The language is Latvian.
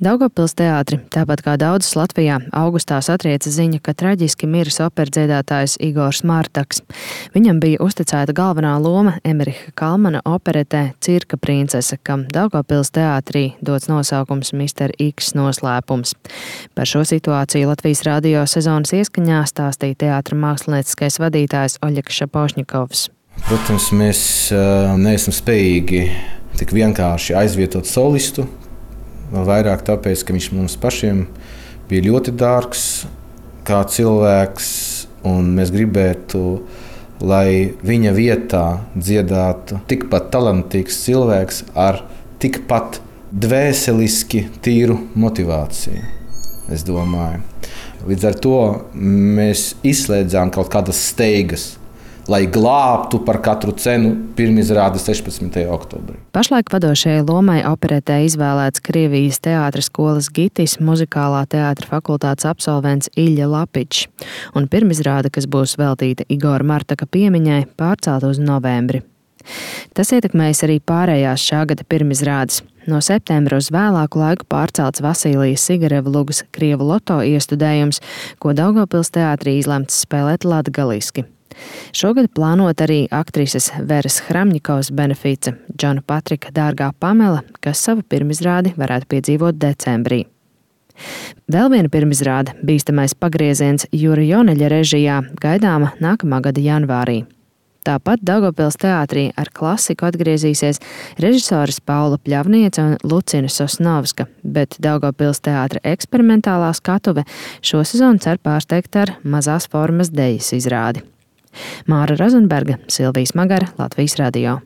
Daugavpils teātri, tāpat kā daudzas Latvijā, augustā satrieca ziņa, ka traģiski miris operdziedātājs Igors Martaks. Viņam bija uzticēta galvenā loma Emeriha Kalmana operetē Cirka princese, kam Daugavpils teātrī dots nosaukums Mr. X noslēpums. Par šo situāciju Latvijas radio sezonas ieskaņā stāstīja teātra mākslinieckais vadītājs Oļegs Šapošņikovs. Protams, mēs neesam spējīgi tik vienkārši aizvietot solistu. Vairāk tāpēc, ka viņš mums pašiem bija ļoti dārgs kā cilvēks, un mēs gribētu, lai viņa vietā dziedātu tikpat talantīgs cilvēks ar tikpat dvēseliski tīru motivāciju, es domāju. Līdz ar to mēs izslēdzām kaut kādas steigas, lai glābtu par katru cenu pirmizrādi 16. oktobrī. Pašlaik vadošajai lomai operetē izvēlēts Krievijas teātra skolas gitis, muzikālā teātra fakultātes absolvents Iļļa Lapičs, un pirmizrāde, kas būs veltīta Igora Martaka piemiņai, pārcelta uz novembri. Tas ietekmējas arī pārējās šā gada pirmizrādes. No septembra uz vēlāku laiku pārcelts Vasilijas Sigareva lugas Krievu loto iestudējums, ko Daugavpils teātrī izlemts spēlēt latgaliski. Šogad plānot arī aktrises Veras Hramņikovas benefice Džona Patrika Dārgā Pamela, kas savu pirmizrādi varētu piedzīvot decembrī. Vēl viena pirmizrāde, Bīstamais pagrieziens Jura Joneļa režijā, gaidāma nākamā gada janvārī. Tāpat Daugavpils teātrī ar klasiku atgriezīsies režisoras Paula Pļavniece un Lucina Sosnovska, bet Daugavpils teātra eksperimentālā skatuve šo sezonu cer pārsteigt ar mazās formas dejas izrādi. Māra Rozenberga, Silvija Smagara, Latvijas radio.